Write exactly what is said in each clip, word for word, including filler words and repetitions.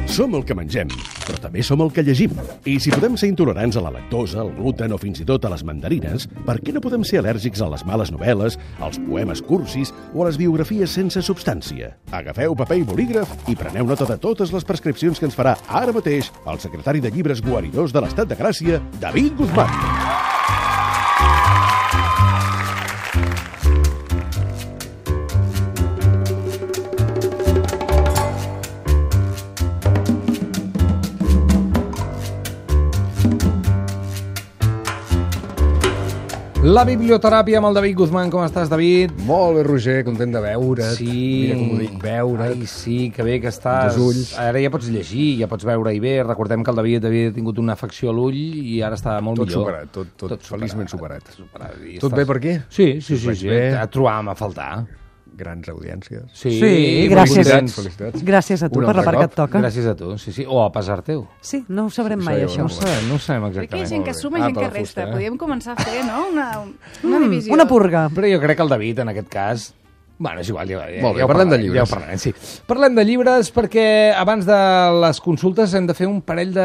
Som el que mengem, però també som el que llegim. I si podem ser intolerants a la lactosa, al gluten o fins i tot a les mandarines, per què no podem ser al·lèrgics a les males novel·les, als poemes cursis o a les biografies sense substància? Agafeu paper i bolígraf i preneu nota de totes les prescripcions que ens farà ara mateix el secretari de llibres guaridors de l'Estat de Gràcia, David Guzmán. La biblioteràpia amb el David Guzmán. Com estàs, David? Molt bé, Roger, content de veure't. Sí. Mira com ho dic, veure't. Ai, sí, que bé que estàs. Els ulls. Ara ja pots llegir, ja pots veure-hi bé. Recordem que el David havia tingut una afecció a l'ull i ara està molt tot millor. Superat, tot, tot, tot feliçment superat. superat. Tot estàs... bé per aquí? Sí, sí, sí. Vaig sí. bé. Et trobàvem a faltar. Grans audiències. Sí, Sí, gràcies. Felicitats, felicitats. Gràcies a tu Un per la altre part que cop. et toca. Gràcies a tu, sí, sí. O a pesar teu. Sí, no ho sabrem mai, Això això. No ho sabem, no ho sabem Crec que exactament. hi ha gent que suma i Ah, gent per que la resta. fusta, eh? Podríem començar a fer, no?, una, una Mm, divisió. una purga. Però jo crec que el David, en aquest cas... Bueno, és igual, ja, ja, Molt bé, ja ho parlem de parlarem, llibres. Ja ho parlarem, sí. Parlem de llibres perquè abans de les consultes hem de fer un parell de,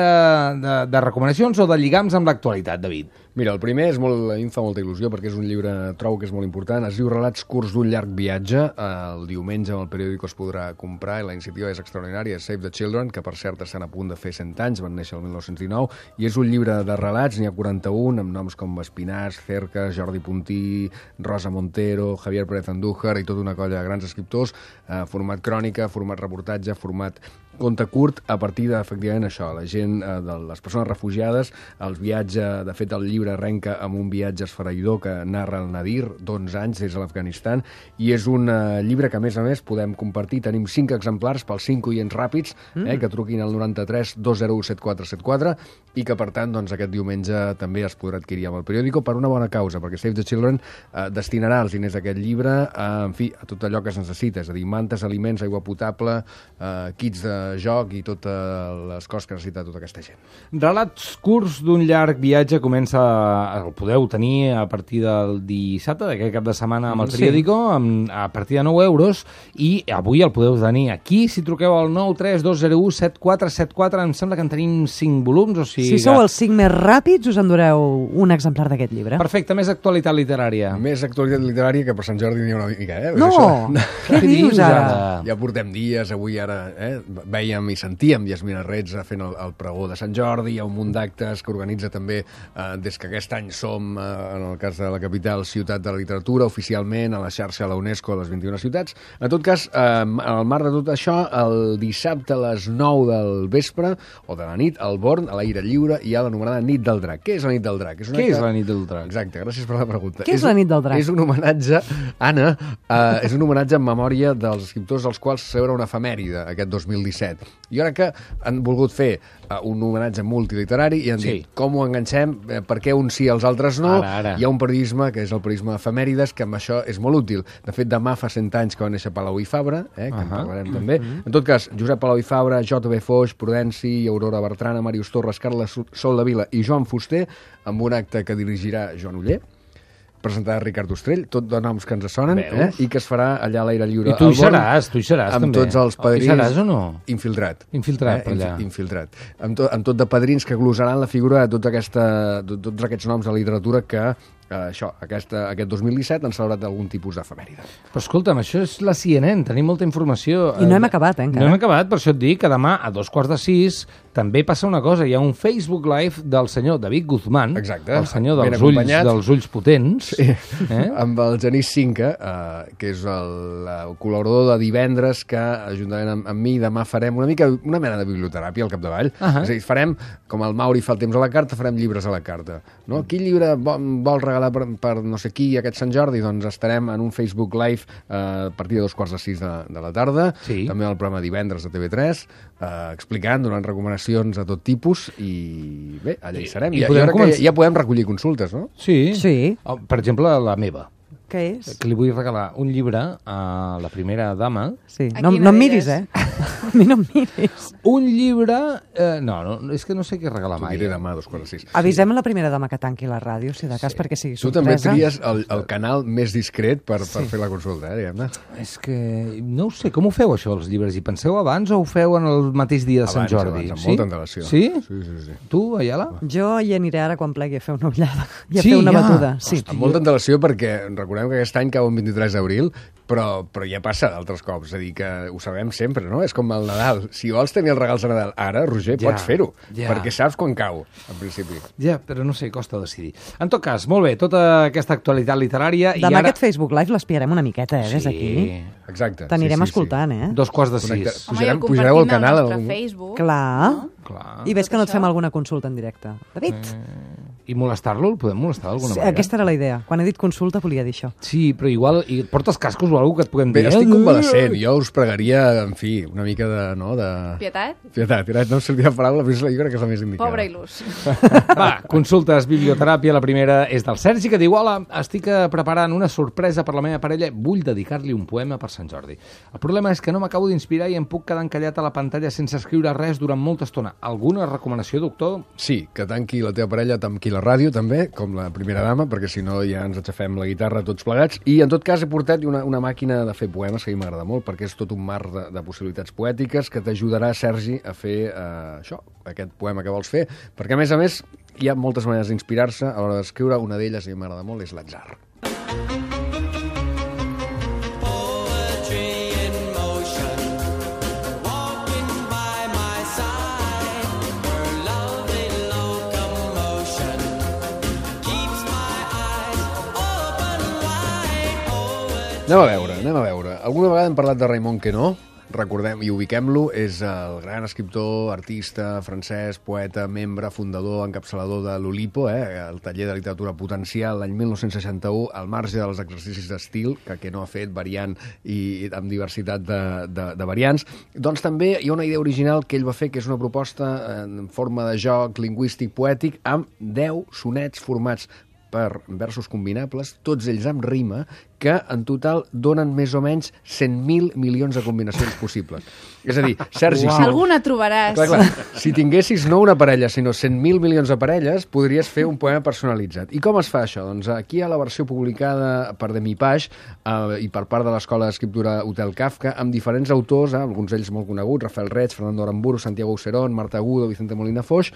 de, de recomanacions o de lligams amb l'actualitat, David. Mira, el primer és molt, a mi em fa molta il·lusió perquè és un llibre, trobo que és molt important. Es diu Relats curts d'un llarg viatge. El diumenge al periòdico es podrà comprar i la iniciativa és extraordinària. És Save the Children, que per cert estan a punt de fer cent anys, van néixer el mil nou-cents dinou, i és un llibre de relats, n'hi ha quaranta-un, amb noms com Espinàs, Cercas, Jordi Puntí, Rosa Montero, Javier Pérez Andújar i tota una colla de grans escriptors, eh, format crònica, format reportatge, format conte curt, a partir de, efectivament, això, la gent, eh, de les persones refugiades, els viatges, de fet, el llibre arrenca amb un viatge esfereïdor que narra el Nadir, d'onze anys, des de l'Afganistan, i és un eh, llibre que, a més a més, podem compartir. Tenim cinc exemplars pels cinc oients ràpids, eh, que truquin al noranta-tres dos zero u set quatre set quatre, i que, per tant, doncs, aquest diumenge també es podrà adquirir amb el periòdico per una bona causa, perquè Save the Children eh, destinarà els diners d'aquest llibre a, en fi, a tot allò que es necessita, és a dir, mantes, aliments, aigua potable, eh, kits de joc i totes les coses que necessita tota aquesta gent. Relats curts d'un llarg viatge comença, el podeu tenir a partir del dissabte, d'aquest cap de setmana amb el Sí. periòdico, amb, a partir de nou euros, i avui el podeu tenir aquí, si truqueu al nou tres dos zero u set quatre set quatre, em sembla que en tenim cinc volums, o sigui... Si sou els cinc més ràpids, us endureu un exemplar d'aquest llibre. Perfecte, més actualitat literària. Més actualitat literària que per Sant Jordi n'hi ha una mica, eh? No! Això, Què dius ara? ja portem dies, avui ara eh, veiem i sentíem Yasmina Rets fent el, el pregó de Sant Jordi, hi ha un munt d'actes que organitza també eh, des que aquest any som, eh, en el cas de la capital, ciutat de la literatura, oficialment a la xarxa de la UNESCO a les vint-i-una ciutats. En tot cas, eh, al marc de tot això, el dissabte a les nou del vespre, o de la nit, al Born, a l'aire lliure, hi ha l'anomenada Nit del Drac. Què és la Nit del Drac? És una Què mica... és la nit del drac? Exacte, gràcies per la pregunta. Què és la Nit del Drac? És un homenatge, Anna, eh, és un homenatge en memòria dels escriptors als quals se celebra una efemèride aquest dos mil disset. I ara que han volgut fer uh, un homenatge multiliterari i han Sí. dit com ho enganxem, eh, per què uns sí i els altres no, Ara, ara. hi ha un periodisme que és el periodisme efemèrides, que amb això és molt útil. De fet, demà fa cent anys que va néixer Palau i Fabra, eh, que uh -huh. en parlarem també. En tot cas, Josep Palau i Fabra, J B Foix, Prudenci, Aurora Bertrana, Màrius Torres, Carles Sol de Vila i Joan Fuster, amb un acte que dirigirà Joan Oller, presentada Ricard Ostrell, tot de noms que ens sonen, eh? I que es farà allà a l'aire lliure. I tu hi al Born, seràs, tu hi seràs, amb també. tots els padrins... Hi seràs o no? Infiltrat. Infiltrat, per Infi- allà. Infiltrat. Amb, to, amb tot de padrins que glosaran la figura de tota aquesta, de tots aquests noms de literatura que eh, això, aquesta, aquest dos mil disset han celebrat algun tipus d'efemèride. Però escolta'm, això és la C N N, tenim molta informació. I no hem acabat, eh, encara. No hem acabat, per això et dic que demà a dos quarts de sis també passa una cosa, hi ha un Facebook Live del senyor David Guzmán, Exacte. el senyor Ben dels ulls, acompanyat. dels ulls potents, Sí. eh? Amb el Genís Cinca, eh, que és el, el col·laborador de divendres, que juntament amb, amb mi demà farem una mica una mena de biblioteràpia al capdavall. Uh -huh. És a dir, farem, com el Mauri fa el temps a la carta, farem llibres a la carta. No? Quin llibre vol, vol regalar per, per no sé qui aquest Sant Jordi? Doncs estarem en un Facebook Live eh, a partir de dos quarts de sis de, de la tarda, Sí. també al programa Divendres de T V tres, eh, explicant, donant recomanacions de tot tipus, i bé, allà hi serem. I I, I podem ara que començar- ja, ja podem recollir consultes, no? Sí. Sí. Oh, per exemple, la meva, Què és? que li vull regalar un llibre a la primera dama, Sí. A No, quina no em miris, d'elles? eh? A mi no em miris. un llibre Eh, no, no, és que no sé què regalar T'ho mai. diré demà a dos quarts de sis. Avisem a la primera dama que tanqui la ràdio, si de cas, perquè sigui Tu també sorpresa. tries el, el canal més discret per, per fer la consulta, eh, diguem-ne. És que no ho sé, com ho feu això, els llibres? Hi penseu abans o ho feu en el mateix dia de Sant Abans, Jordi? abans, amb sí? molta antelació. Sí? Sí, sí, sí. Tu, Ayala? Jo hi aniré ara quan plegui a fer una ullada i a Sí, fer una ja. batuda. Sí. Amb molta antelació perquè recordem que aquest any cau el vint-i-tres d'abril, però, però ja passa d'altres cops, és a dir, que ho sabem sempre, no? És com el Nadal. Si vols tenir els regals de Nadal ara, Roger, Ja, pots fer-ho, ja. perquè saps quan cau, en principi. Ja, però no sé, costa decidir. En tot cas, molt bé, tota aquesta actualitat literària... Demà i ara... aquest Facebook Live l'espiarem una miqueta, eh, des d'aquí. Exacte. T'anirem sí, sí, escoltant, eh? Dos quarts de Connecta- sis. Home, i Pujarem- el pujareu al compartim canal al nostre algun- Facebook. Clar. Clar. I ves que no et Tot fem això. alguna consulta en directe. David, I molestar-lo? El podem molestar d'alguna sí, manera? aquesta era la idea. Quan he dit consulta volia dir això. Sí, però igual... I et portes cascos o alguna que et puguem Bé, dir? estic eh? convalescent. Jo us pregaria, en fi, una mica de... No, de... Pietat? Pietat. Pietat, no em sortia la paraula, però és la- jo crec que és la més indicada. Pobre il·lus. Va, consultes, biblioteràpia. La primera és del Sergi, que diu: hola, estic eh, preparant una sorpresa per la meva parella. Vull dedicar-li un poema per Sant Jordi. El problema és que no m'acabo d'inspirar i em puc quedar encallat a la pantalla sense escriure res durant molta estona. Alguna recomanació, doctor? Sí, que tanqui la teva parella, tanqui la ràdio, també, com la primera dama, perquè si no ja ens aixafem la guitarra tots plegats. I, en tot cas, he portat una, una màquina de fer poemes que a mi m'agrada molt, perquè és tot un mar de, de possibilitats poètiques que t'ajudarà, Sergi, a fer eh, això, aquest poema que vols fer. Perquè, a més a més, hi ha moltes maneres d'inspirar-se a l'hora d'escriure. Una d'elles, a mi m'agrada molt, és l'atzar. Anem a veure, anem a veure. Alguna vegada hem parlat de Raimon Queneau, recordem i ubiquem-lo, és el gran escriptor, artista, francès, poeta, membre, fundador, encapçalador de l'Olipo, eh, el taller de literatura potencial, l'any mil nou-cents seixanta-u, al marge dels exercicis d'estil, que Queneau ha fet variant i amb diversitat de, de, de variants. Doncs també hi ha una idea original que ell va fer, que és una proposta en forma de joc lingüístic poètic amb deu sonets formats per versos combinables, tots ells amb rima, que en total donen més o menys cent mil milions de combinacions possibles. És a dir, Sergi, Uau. si, Alguna trobaràs. clar, clar, si tinguessis no una parella, sinó cent mil milions de parelles, podries fer un poema personalitzat. I com es fa això? Doncs aquí hi ha la versió publicada per Demipage eh, i per part de l'Escola d'Escriptura Hotel Kafka, amb diferents autors, eh, alguns d'ells molt coneguts, Rafael Reig, Fernando Aramburu, Santiago Aucerón, Marta Agudo, Vicente Molina Foix,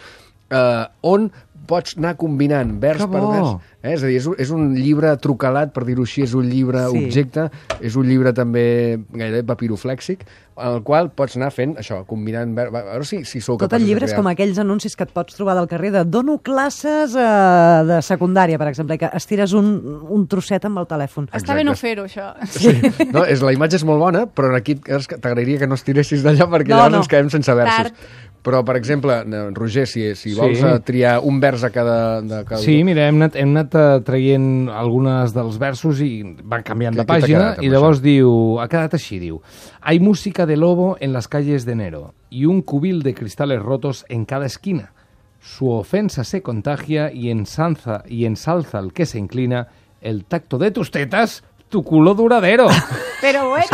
eh, on pots anar combinant vers Que per bo! vers. Eh? És a dir, és un, és un llibre trucalat, per dir-ho així, és un llibre Sí. objecte, és un llibre també gairebé papiroflèxic, en el qual pots anar fent això, combinant... ver- A veure si, si sou Tot capaços el llibre de és crear. com aquells anuncis que et pots trobar del carrer de dono classes eh, de secundària, per exemple, i que estires un, un trosset amb el telèfon. Està Exacte. bé no fer-ho, això. Sí. No, és, la imatge és molt bona, però aquí t'agrairia que no estiressis d'allà perquè No, llavors no. ens quedem sense versos. Tard. Però, per exemple, eh, Roger, si, si vols Sí. eh, triar un vers a cada... De cada Sí, mira, hem anat, hem anat eh, traient algunes dels versos i van canviant Què- de què t'ha pàgina quedat amb i llavors diu, ha quedat així, diu: hay música de lobo en las calles de enero y un cubil de cristales rotos en cada esquina. Su ofensa se contagia y ensalza, y ensalza al que se inclina el tacto de tus tetas, tu culo duradero. Però bueno,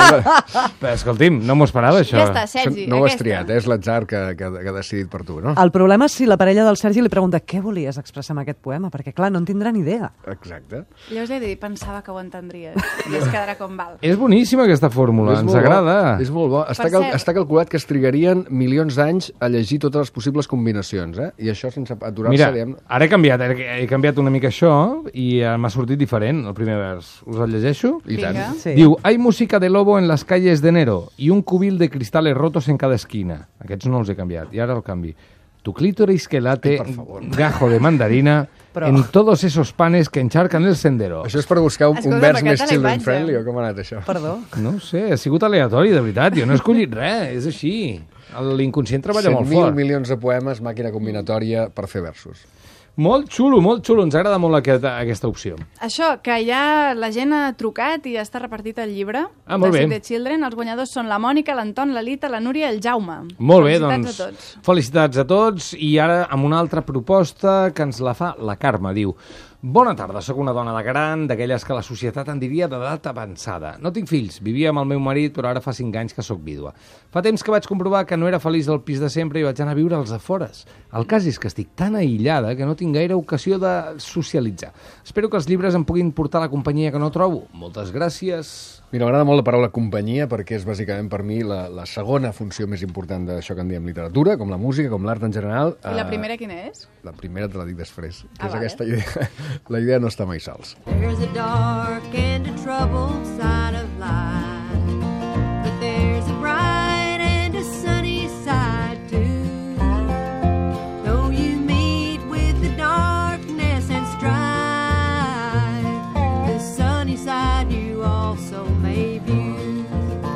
Però, escolti'm, no m'ho esperava, això. ja està, Sergi. No ho has aquesta. triat, eh? És l'atzar que, que, que ha decidit per tu, no? El problema és si la parella del Sergi li pregunta què volies expressar amb aquest poema, perquè, clar, no en tindrà ni idea. Exacte. Jo us he de dir, pensava que ho entendries. I es quedarà com val. És boníssima aquesta fórmula, És ens molt agrada. Bo. És molt bo. Està, Per cal, cert- està calculat que es trigarien milions d'anys a llegir totes les possibles combinacions, eh? I això sense aturar-se, Mira, diguem... ara he canviat, he, he canviat una mica això i eh, m'ha sortit diferent, el primer vers. Us el llegeixo? I tant. Vinga. Sí. Diu, hay música de lobo en las calles de enero y un cubil de cristales rotos en cada esquina. Aquests no els he canviat, i ara el canvi. Tu clítoris que late, Ai, per favor. gajo de mandarina, Però- en todos esos panes que encharcan el sendero. Això és per buscar un, un Escolta'm, vers més aquesta la children imatge. friendly, o com ha anat això? Perdó? No ho sé, ha sigut aleatori, de veritat. Jo no he escollit res, és així. L'inconscient treballa molt cent mil fort. milions de poemes, màquina combinatòria per fer versos. Molt xulo, molt xulo. Ens agrada molt aquesta, aquesta opció. Això, que ja la gent ha trucat i ja està repartit el llibre Ah, molt de bé. Save the Children. Els guanyadors són la Mònica, l'Anton, la Lita, la Núria i el Jaume. Molt bé, Felicitats doncs, a tots. felicitats a tots. I ara amb una altra proposta que ens la fa la Carme. Diu, Bona tarda, sóc una dona de gran, d'aquelles que la societat en diria d'edat avançada. No tinc fills, vivia amb el meu marit, però ara fa cinc anys que sóc vídua. Fa temps que vaig comprovar que no era feliç al pis de sempre i vaig anar a viure als afores. El cas és que estic tan aïllada que no tinc gaire ocasió de socialitzar. Espero que els llibres em puguin portar la companyia que no trobo. Moltes gràcies. Mira, m'agrada molt la paraula companyia perquè és bàsicament per mi la, la segona funció més important d'això que en diem literatura, com la música, com l'art en general. I la primera quina és? La primera te la dic després, que Ah, és vale. aquesta idea. La idea no està mai sols. There's a dark and a troubled side of life, but there's a bright and a sunny side too. Though you meet with the darkness and strife, the sunny side you also may view.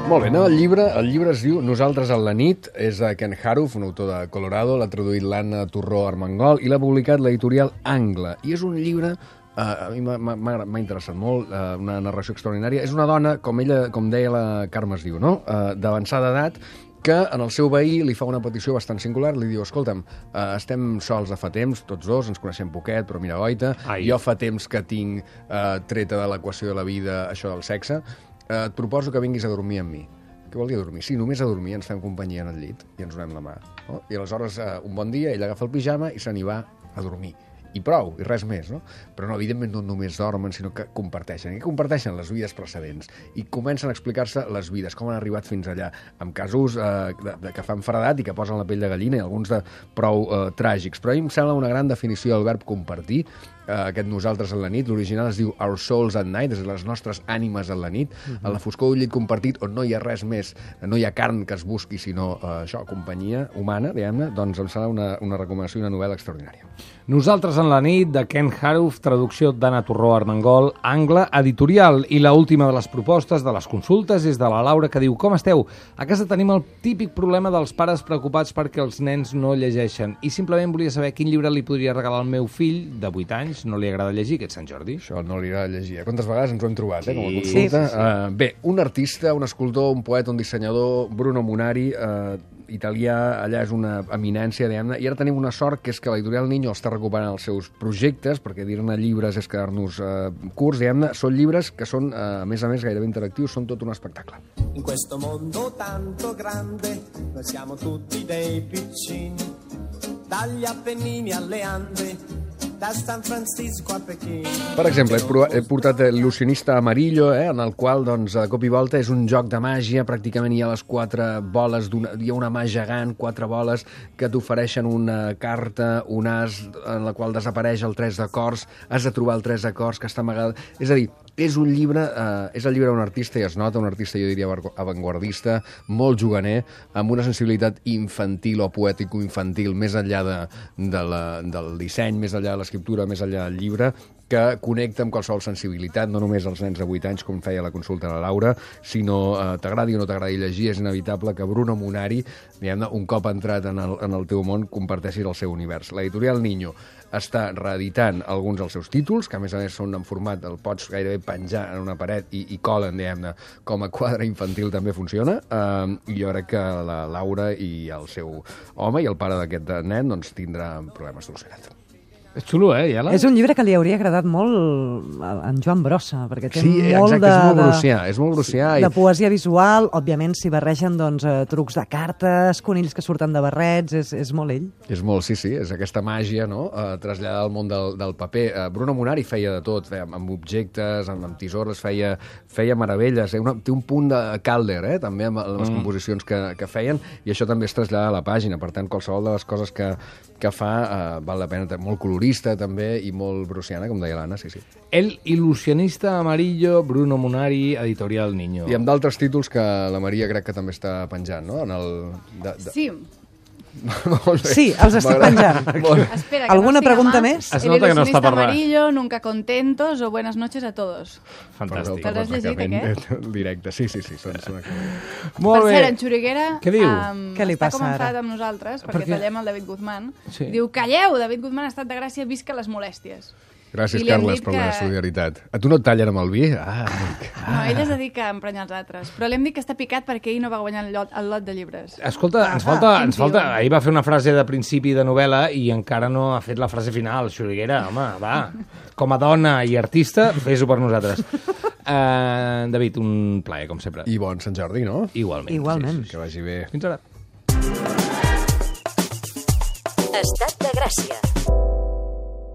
Molt bé, no? el, llibre, el llibre es diu Nosaltres en la nit, és de Ken Haruf, un autor de Colorado, l'ha traduït l'Anna Torró Armengol i l'ha publicat l'editorial Angle. I és un llibre, eh, a mi m'ha- m'ha m'ha interessat molt, eh, una narració extraordinària. És una dona, com ella, com deia la Carme es diu, no? eh, d'avançada edat, que en el seu veí li fa una petició bastant singular, li diu, escolta'm, eh, estem sols de fa temps, tots dos, ens coneixem poquet, però mira, goita, Ai. jo fa temps que tinc eh, treta de l'equació de la vida això del sexe, eh, et proposo que vinguis a dormir amb mi. Què vol dir a dormir? Sí, només a dormir, ens fem companyia en el llit i ens donem la mà. No? I aleshores, eh, un bon dia, ell agafa el pijama i se n'hi va a dormir. I prou, i res més, no? Però no, evidentment no només dormen, sinó que comparteixen. I comparteixen les vides precedents. I comencen a explicar-se les vides, com han arribat fins allà, amb casos eh, de, de, que fan fredat i que posen la pell de gallina, i alguns de prou eh, tràgics. Però a mi em sembla una gran definició del verb compartir, eh, aquest nosaltres en la nit. L'original es diu Our Souls at Night, és a dir, les nostres ànimes en la nit, uh-huh. a la foscor d'un llit compartit on no hi ha res més, no hi ha carn que es busqui, sinó eh, això, companyia humana, diguem-ne, doncs em sembla una, una recomanació i una novel·la extraordinària. Nosaltres en la nit, de Ken Haruf, traducció d'Anna Torró Armengol, Angle, editorial. I la última de les propostes, de les consultes, és de la Laura, que diu: com esteu? A casa tenim el típic problema dels pares preocupats perquè els nens no llegeixen. I simplement volia saber quin llibre li podria regalar al meu fill, de vuit anys, no li agrada llegir, aquest Sant Jordi. Això no li agrada llegir. Quantes vegades ens ho hem trobat, eh, com a Sí. consulta? Sí, sí, sí. Uh, bé, un artista, un escultor, un poeta, un dissenyador, Bruno Munari, uh, italià, allà és una eminència, diguem-ne, i ara tenim una sort, que és que l'editorial Niño està recuperant els seus projectes, perquè dir-ne llibres és quedar-nos uh, curts, diguem-ne, són llibres que són, uh, a més a més, gairebé interactius, són tot un espectacle. In questo mondo tanto grande, noi siamo tutti dei piccini, dagli Appennini alle Ande, da San Francisco a Pequín. Per exemple, he, provat, he portat l'il·lusionista Amarillo, eh, en el qual, doncs, de cop i volta és un joc de màgia, pràcticament hi ha les quatre boles, hi ha una mà gegant, quatre boles que t'ofereixen una carta, un as, en la qual desapareix el tres de cors, has de trobar el tres de cors que està amagat. És a dir, és un llibre, eh, és el llibre d'un artista, i es nota, un artista, jo diria, avantguardista, molt juganer, amb una sensibilitat infantil o poètico-infantil, més enllà de, de la, del disseny, més enllà de l'escriptura, més enllà del llibre, que connecta amb qualsevol sensibilitat, no només als nens de vuit anys, com feia la consulta a la Laura, sinó eh, t'agradi o no t'agradi llegir, és inevitable que Bruno Munari, diguem-ne, un cop entrat en el, en el teu món, comparteixis el seu univers. L'editorial Niño està reeditant alguns dels seus títols, que a més a més són en format, el pots gairebé penjar en una paret i, i colen, diguem-ne, com a quadre infantil també funciona, eh, i jo crec que la Laura i el seu home i el pare d'aquest nen doncs tindrà problemes solucionats. És xulo, eh, Iala? És un llibre que li hauria agradat molt a en Joan Brossa, perquè té Sí, molt exacte, de, és molt de- brucià, és molt brucià. de poesia visual. Òbviament, s'hi barregen doncs, eh, trucs de cartes, conills que surten de barrets, és, és molt ell. És molt, sí, sí, és aquesta màgia, no?, eh, traslladada al món del, del paper. Eh, Bruno Munari feia de tot, feia amb objectes, amb, amb tisores, feia, feia meravelles. Eh? Una, té un punt de Calder, eh?, també, amb les mm. composicions que, que feien, i això també es trasllada a la pàgina. Per tant, qualsevol de les coses que, que fa eh, val la pena. Molt colorista, també, i molt bruciana, com deia l'Anna, sí, sí. El il·lusionista Amarillo, Bruno Munari, editorial Niño. I amb d'altres títols que la Maria crec que també està penjant, no?, en el... De, de... Sí. Molt bé. Sí, els estic M'agrada. penjant. Molt bé. Espera, que ¿Alguna no siga pregunta más. més? Es El nota que no ilusionista està parlant. amarillo, nunca contentos o buenas noches a todos. Fantàstic. Te l'has llegit, aquest? El directe, sí, sí, sí. Són, són Molt Per bé. cert, en Xuriguera Què diu? Um, Què li està passa com ara? enfadat amb nosaltres, perquè què? tallem el David Guzmán. Sí. Diu, calleu, David Guzmán ha estat de gràcia, visca les molèsties. Gràcies, I li hem Carles, dit per la que- solidaritat. A tu no et tallen amb el vi? Ah, amic. No, ell es dedica a emprenyar els altres. Però li hem dit que està picat perquè ell no va guanyar el lot, el lot de llibres. Escolta, ens Ah, falta, quin ens falta... tio. Ahir va fer una frase de principi de novel·la i encara no ha fet la frase final. Xuriguera, home, va. Com a dona i artista, fes-ho per nosaltres. Uh, David, un plaer, com sempre. I bon Sant Jordi, no? Igualment. Igualment. Que vagi bé. Fins ara. Estat de Gràcia.